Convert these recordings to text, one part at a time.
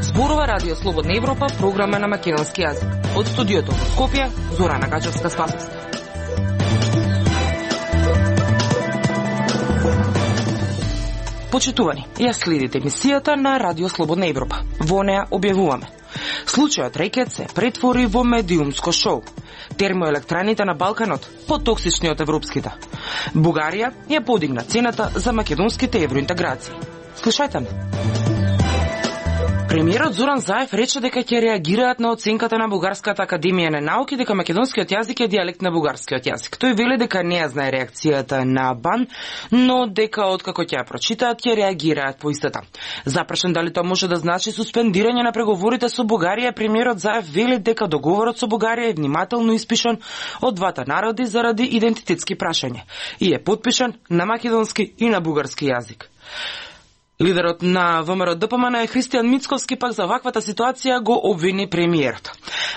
Зборува Радио Слободна Европа, програма на македонски јазик. Од студиото во Скопје, Зорана Гачевска-Спасовска. Почитувани, ја следите емисијата на Радио Слободна Европа. Во неа објавуваме: случајот Рекет се претвори во медиумско шоу. Термоелектраните на Балканот потоксични од европските. Бугарија ја подигна цената за македонските евроинтеграции. Слушајте ме. Премиерот Зоран Заев рече дека ќе реагираат на оценката на Бугарската академија на науки дека македонскиот јазик е дијалект на бугарскиот јазик. Тој вели дека не ја знае реакцијата на БАН, но дека откако ќе ја прочитаат ќе реагираат по истата. Запрашен дали тоа може да значи суспендирање на преговорите со Бугарија, премиерот Заев вели дека договорот со Бугарија е внимателно испишан од двата народи заради идентитетски прашања и е потпишан на македонски и на бугарски јазик. Лидерот на ВМРО-ДПМН Христијан Мицковски пак за ваквата ситуација го обвини премиерот.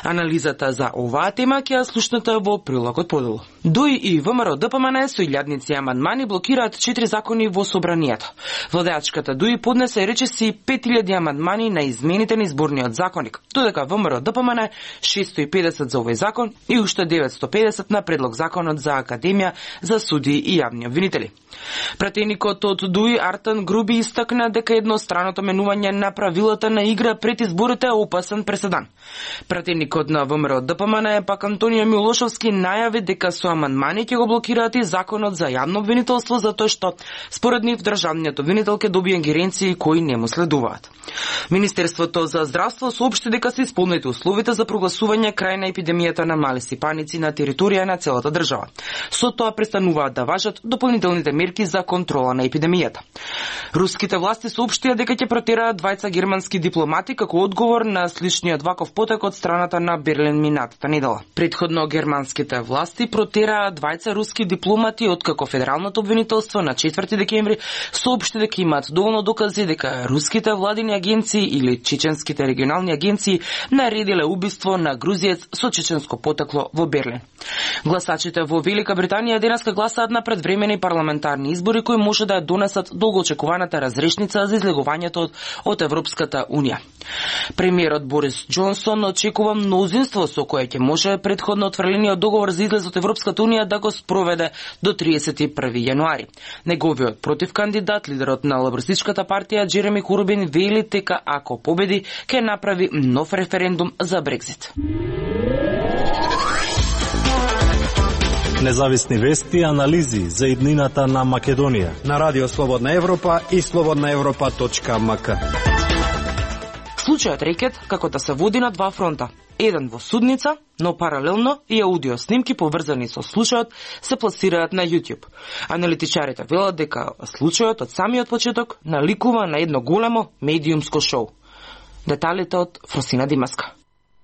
Анализата за оваа тема ќе ја слушнете во прилогот поделу. ДУИ и ВМРО-ДПМН со илјадници амандмани блокираат 4 закони во собранието. Владеачката ДУИ поднесе речиси 5000 амандмани на измените на изборниот законник, додека ВМРО-ДПМН 650 за овој закон и уште 950 на предлог законот за Академија за судии и јавни обвинители. Пратеникот од ДУИ Артан Груби истакна дека едностраното менување на правилата на игра пред изборите е опасен преседан. Пратеникот на ВМРО-ДПМН пак Антонио Милошовски најави дека со амандмани ќе го блокираат и законот за јавно обвинителство затоа што според нив државниот обвинител ќе добие ингеренции кои не му следуваат. Министерството за здравство соопшти дека се исполнети условите за прогласување крај на епидемијата на мали сипаници на територија на целата држава. Со тоа престануваат да важат дополнителните мерки за контрола на епидемијата. Руските власти соопштија дека ќе протераат двајца германски дипломати како одговор на сличниот ваков потек од страната на Берлин минатата недела. Претходно германските власти протераа двајца руски дипломати откако федералното обвинителство на 4 декември соопшти дека имаат доволно докази дека руските владини агенции или чеченските регионални агенции наредиле убиство на грузиец со чеченско потекло во Берлин. Гласачите во Велика Британија денеска гласаат на предвремени парламентарни избори кои може да ја донесат долгоочекуваната разрешница за излегувањето од Европската Унија. Премиерот Борис Џонсон очекува мнозинство со кое ќе може претходно отфрлениот договор за излез од Европската Унија да го спроведе до 31 јануари. Неговиот противкандидат, лидерот на лабористичката партија Джереми Корбин вели дека ако победи ќе направи нов референдум за Брекзит. Независни вести и анализи за иднината на Македонија на Радио Слободна Европа и slobodnaevropa.mk. Случајот Рекет како да се води на два фронта. Еден во судница, но паралелно и аудио снимки поврзани со случајот се пласираат на YouTube. Аналитичарите велат дека случајот од самиот почеток наликува на едно големо медиумско шоу. Деталите од Фросина Димаска.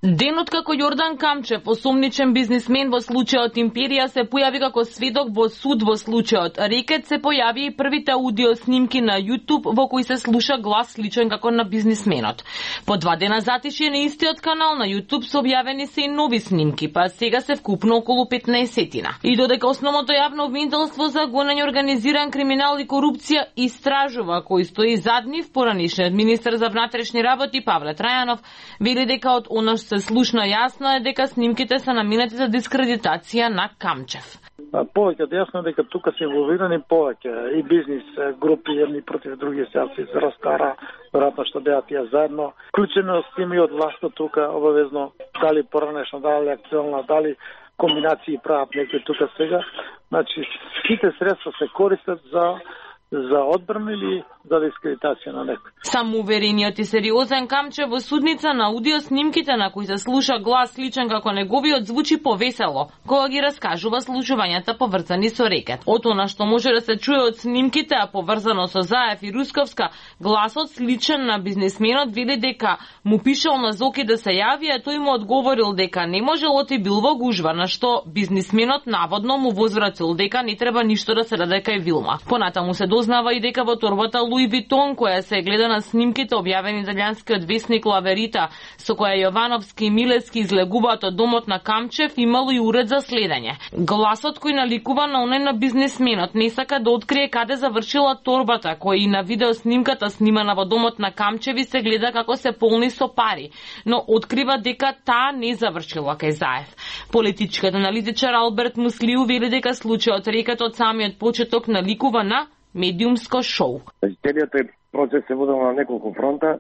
Денот како Јордан Камчев, осомничен бизнисмен во случајот Империја, се појави како сведок во суд во случајот Рекет, се појави и првите аудио снимки на YouTube во кои се слуша глас сличен како на бизнисменот. По 2 дена затишје на истиот канал на YouTube се објавени се и нови снимки, па сега се вкупно околу 15-тина. И додека основното јавно обвинителство за гонење организиран криминал и корупција истражува кој стои зад нив, поранишниот министер за внатрешни работи Павле Трајанов вели дека од она се слушна јасно е дека снимките се наменети за дискредитација на Камчев. Повеќе јасно е дека тука се инволвирани повеќе и бизнис групи едни против други, се разкара веројатно што беа тие заедно. Вклучено с тими од власта тука обавезно, дали поранешно, дали актуелна, дали комбинации прават некои тука сега. Значи сите средства се користат за одбрана или за дискредитација на некој. Самоуверениот и сериозен Камчев во судница на аудио снимките на кои се слуша глас сличен како неговиот звучи повесело, кога ги раскажува случувањата поврзани со Рекет. Од она што може да се чуе од снимките, а поврзано со Заев и Русковска, гласот сличен на бизнисменот вели дека му пишал на Зоки да се јави, а тој му одговорил дека не можел и бил во гужва, на што бизнисменот наводно му возвратил дека не треба ништо да се даде кај Вилма. Понатаму се дознава и дека во торбата Луи Витон, која се гледа на снимките објавени италијанскиот весник Ла Верита, со која Јовановски и Милески излегуваат од домот на Камчев, имало и уред за следење. Гласот кој наликува на оној на бизнисменот не сака да открие каде завршила торбата, која и на видеоснимката снимана во домот на Камчеви се гледа како се полни со пари, но открива дека таа не завршила кај Заев. Политичкиот аналитичар Алберт Муслиу вели дека случајот рекат од самиот почеток наликува на медиумско шоу. Целиот процес се водел на неколку фронта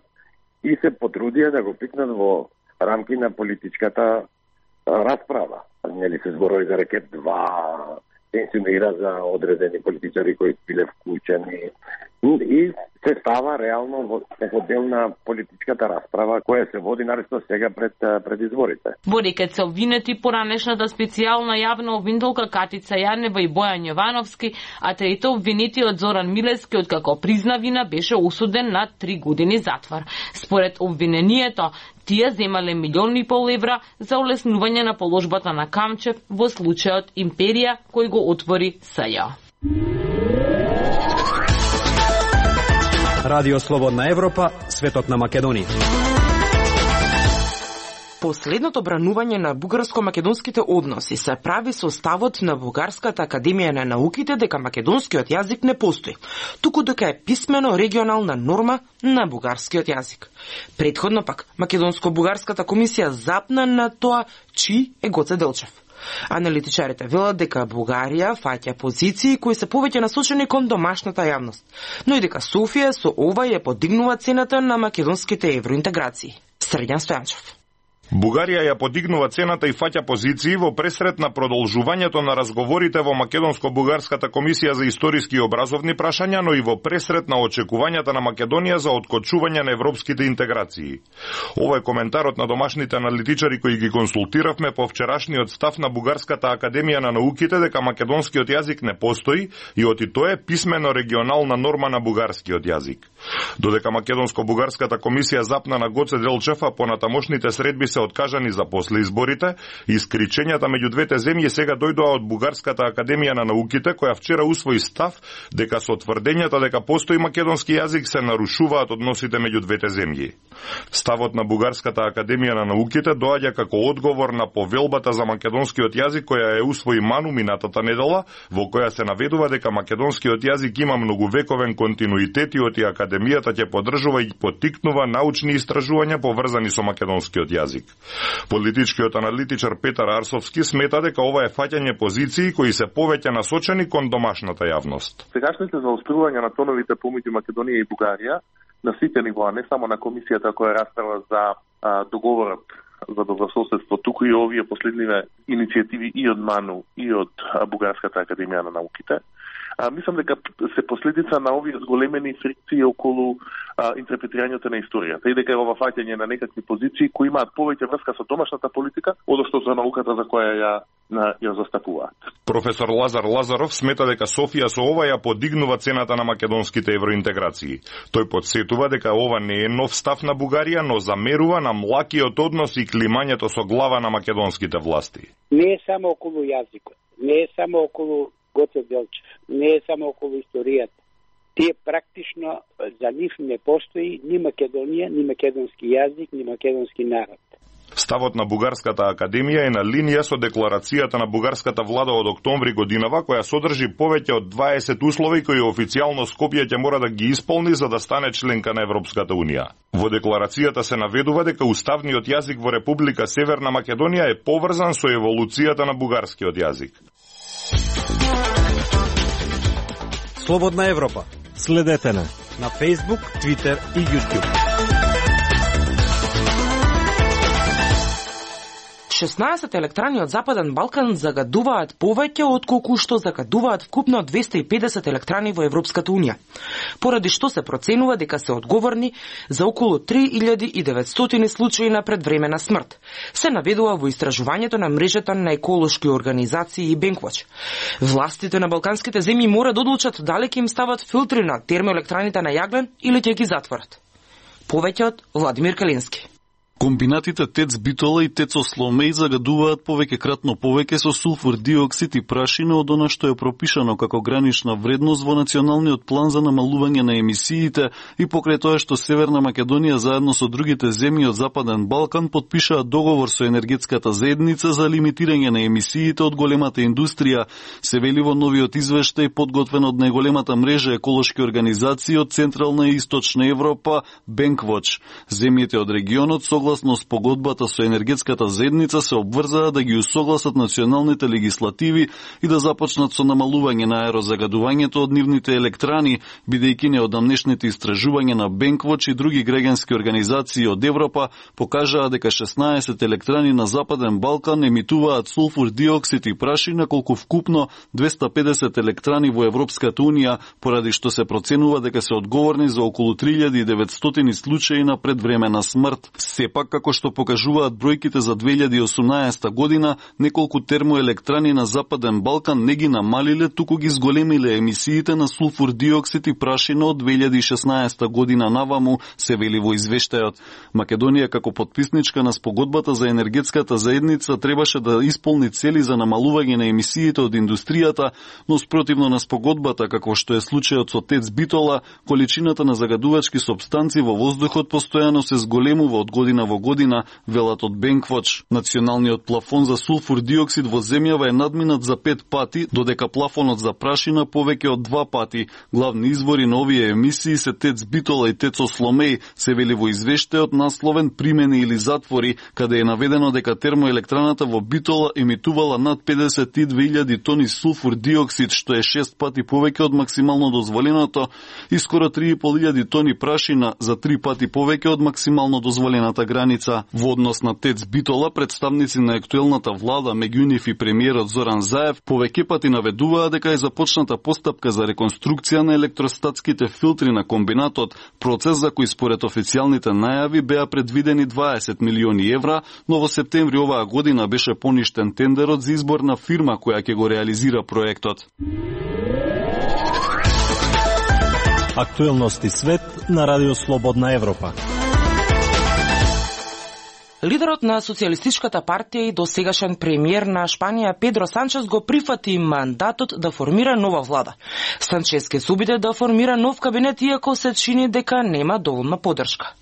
и се потрудија да го пикнат во рамки на политичката расправа. Нели се зборови за рекет 2, се инсинуира за одредени политичари кои биле вклучени и се става реално во дел на политичката расправа која се води наресно сега пред изборите. Во рекет се обвинети поранешната специјална јавна обвинителка Катица Јанева и Бојан Јовановски, а трето обвинетиот Зоран Милески, откако призна вина, беше осуден на 3 години затвор. Според обвинението, тие земале 1,5 милиони евра за олеснување на положбата на Камчев во случајот Империја кој го отвори СЈ. Радио Слободна Европа, светот на Македонија. Последното бранување на бугарско-македонските односи се прави со ставот на Бугарската академија на науките дека македонскиот јазик не постои, туку дека е писмено регионална норма на бугарскиот јазик. Претходно пак, Македонско-бугарската комисија запна на тоа чии е Гоце Делчев. Аналитичарите велат дека Бугарија фаќа позиции кои се повеќе насочени кон домашната јавност, но и дека Софија со ова ја подигнува цената на македонските евроинтеграции. Срđan Стојанчев. Бугарија ја подигнува цената и фаќа позиции во пресрет на продолжувањето на разговорите во Македонско-бугарската комисија за историски и образовни прашања, но и во пресрет на очекувањата на Македонија за откочување на европските интеграции. Ова е коментарот на домашните аналитичари кои ги консултиравме по вчерашниот став на Бугарската академија на науките дека македонскиот јазик не постои и оти тоа е писмено регионална норма на бугарскиот јазик. Додека Македонско-бугарската комисија запна на Гоце Делчев, а понатамошните средби се откажани за после изборите, искричењата меѓу двете земји сега дојдоа од Бугарската академија на науките, која вчера усвои став дека со тврдењата дека постои македонски јазик се нарушуваат односите меѓу двете земји. Ставот на Бугарската академија на науките доаѓа како одговор на повелбата за македонскиот јазик која е усвои Ману минатата недела, во која се наведува дека македонскиот јазик има многувековен континуитет и оти академијата ќе поддржува и поттикнува научни истражувања поврзани со македонскиот јазик. Политичкиот аналитичар Петар Арсовски смета дека ова е фаќање позиции кои се повеќе насочени кон домашната јавност. Сегашните заострувања на тоновите помеѓу Македонија и Бугарија на сите нивоа, не само на комисијата која расправа за договорот за добрососедство, туку и овие последниве иницијативи и од МАНУ и од Бугарската академија на науките, мислам дека се последица на овие зголемени фрикции околу интерпретирањето на историјата и дека е ова фаќање на некакви позиции кои имаат повеќе врска со домашната политика, одошто за науката за која ја застапуваат. Професор Лазар Лазаров смета дека Софија со ова ја подигнува цената на македонските евроинтеграции. Тој подсетува дека ова не е нов став на Бугарија, но замерува на млакиот однос и климањето со глава на македонските власти. Не е само околу јазикот, не е само околу Гоце Делчев, не е само околу историјата. Тие практично за нив не постои ни Македонија, ни македонски јазик, ни македонски народ. Ставот на Бугарската академија е на линија со декларацијата на бугарската влада од октомври годинава, која содржи повеќе од 20 услови кои официјално Скопје ќе мора да ги исполни за да стане членка на Европската унија. Во декларацијата се наведува дека уставниот јазик во Република Северна Македонија е поврзан со еволуцијата на бугарскиот јазик. Слободна Европа. Следете на Facebook, Twitter и YouTube. 16 електрани од Западен Балкан загадуваат повеќе отколку што загадуваат вкупно 250 електрани во Европската унија, поради што се проценува дека се одговорни за околу 3900 случаи на предвремена смрт. Се наведува во истражувањето на мрежата на еколошки организации и Bankwatch. Властите на балканските земји мора да одлучат дали ќе им стават филтри на термоелектраните на јаглен или ќе ги затворат. Повеќе од Владимир Калински. Комбинатите ТЕЦ Битола и ТЕЦ Осломеј загадуваат повеќекратно повеќе со сулфур диоксид и прашина од она што е пропишано како гранична вредност во Националниот план за намалување на емисиите и покрај тоа што Северна Македонија заедно со другите земји од Западен Балкан подпишаа договор со енергетската заедница за лимитирање на емисиите од големата индустрија, се вели во новиот извештај подготвен од најголемата мрежа еколошки организации од Централна и Источна Европа, Bankwatch. Земјите од регионот согласно спогодбата со енергетската заедница се обврзаа да ги усогласат националните легислативи и да започнат со намалување на аерозагадувањето од нивните електрани, бидејќи неодамнешните истражувања на Bankwatch и други граѓански организации од Европа покажаа дека 16 електрани на Западен Балкан емитуваат сулфур диоксид и прашина, колку вкупно 250 електрани во Европската Унија, поради што се проценува дека се одговорни за околу 3900 случаи на предвремена смрт. Сепак, како што покажуваат бројките за 2018 година, неколку термоелектрани на Западен Балкан не ги намалиле, туку ги зголемиле емисиите на сулфур диоксид и прашина од 2016 година наваму, се вели во извештајот. Македонија како потписничка на спогодбата за енергетската заедница требаше да исполни цели за намалување на емисиите од индустријата, но спротивно на спогодбата, како што е случајот со ТЕЦ Битола, количината на загадувачки супстанции во воздухот постојано се зголемува од година во година, велат од Bankwatch. Националниот плафон за сулфур диоксид во земјава е надминат за 5 пати, додека плафонот за прашина повеќе од 2 пати. Главни извори на овие емисии се ТЕЦ Битола и ТЕЦ Осломеј, се вели во извештајот насловен "Примени или затвори", каде е наведено дека термоелектраната во Битола емитувала над 52.000 тони сулфур диоксид, што е 6 пати повеќе од максимално дозволеното, и скоро 3.500 тони прашина, за 3 пати повеќе од максимално дозволената граница. Во однос на ТЕЦ Битола, представници на актуелната влада, меѓу нив и премиерот Зоран Заев, повеќе пати наведуваа дека е започната постапка за реконструкција на електростатските филтри на комбинатот, процес за кој според официјалните најави беа предвидени 20 милиони евра, но во септември оваа година беше поништен тендерот за избор на фирма која ќе го реализира проектот. Актуелности свет на Радио Слободна Европа. Лидерот на Социјалистичката партија и досегашен премиер на Шпанија Педро Санчес го прифати мандатот да формира нова влада. Санчес ке се обиде да формира нов кабинет, иако се чини дека нема доволна поддршка.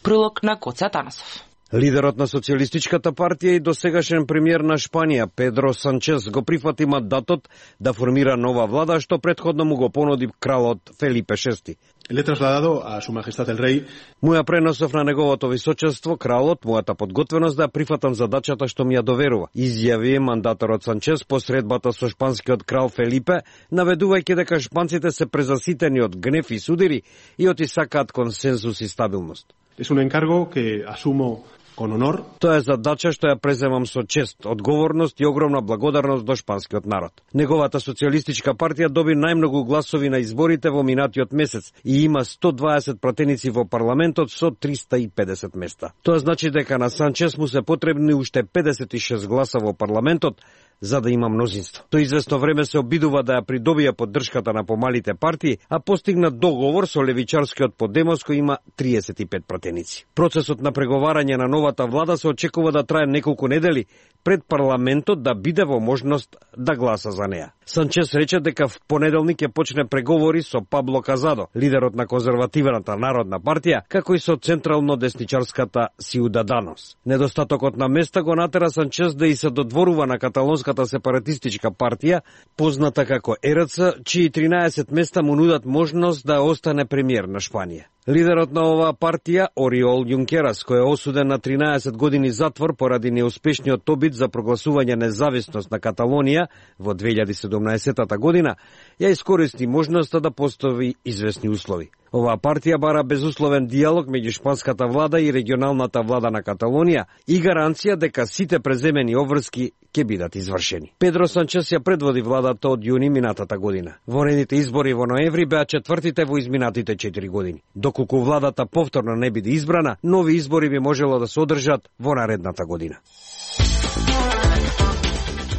Прилог на Коце Атанасов. Лидерот на Социјалистичката партија и досегашен премиер на Шпанија Педро Санчес го прифати мандатот да формира нова влада, што претходно му го понуди кралот Фелипе VI. Le trasladado a su majestad el rey. Му ја преносов на неговото височество кралот мојата подготвеност да прифатам задачата што ми ја доверува, изјави мандаторот Санчес по средбата со шпанскиот крал Фелипе, наведувајќи дека шпанците се презаситени од гнев и судири и сакаат консензус и стабилност. Es un encargo que asumo con honor. Тоа е задача што ја преземам со чест, одговорност и огромна благодарност до шпанскиот народ. Неговата социјалистичка партија доби најмногу гласови на изборите во минатиот месец и има 120 пратеници во парламентот со 350 места. Тоа значи дека на Санчес му се потребни уште 56 гласа во парламентот за да има мнозинство. Тој известно време се обидува да ја придобија поддршката на помалите партии, а постигна договор со левичарскиот Подемос кој има 35 пратеници. Процесот на преговарање на новата влада се очекува да трае неколку недели пред парламентот да биде во можност да гласа за неа. Санчес рече дека в понеделник ќе почне преговори со Пабло Казадо, лидерот на конзервативната народна партија, како и со централно десничарската Сиудаданос. Недостатокот на места го натера Санчес да и се додворува на каталонската сепаратистичка партија, позната како ЕРЦ, чии 13 места му нудат можност да остане премиер на Шпанија. Лидерот на оваа партија, Ориол Јункерас, кој е осуден на 13 години затвор поради неуспешниот обид за прогласување независност на Каталонија во 2017 година, ја искористи можноста да постави известни услови. Оваа партија бара безусловен диалог меѓу шпанската влада и регионалната влада на Каталонија и гаранција дека сите преземени обврски ќе бидат извршени. Педро Санчес ја предводи владата од јуни минатата година. Воените избори во ноември беа четвртите во изминатите 4 години. Доколку владата повторно не биде избрана, нови избори би можело да се одржат во наредната година.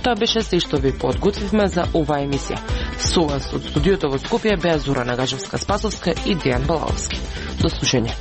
Тоа беше се што ви подготвивме за оваа емисија. Со вас од студиото во Скопје беа Зора Нагажевска-Спасовска и Дејан Балаовски. До слушање.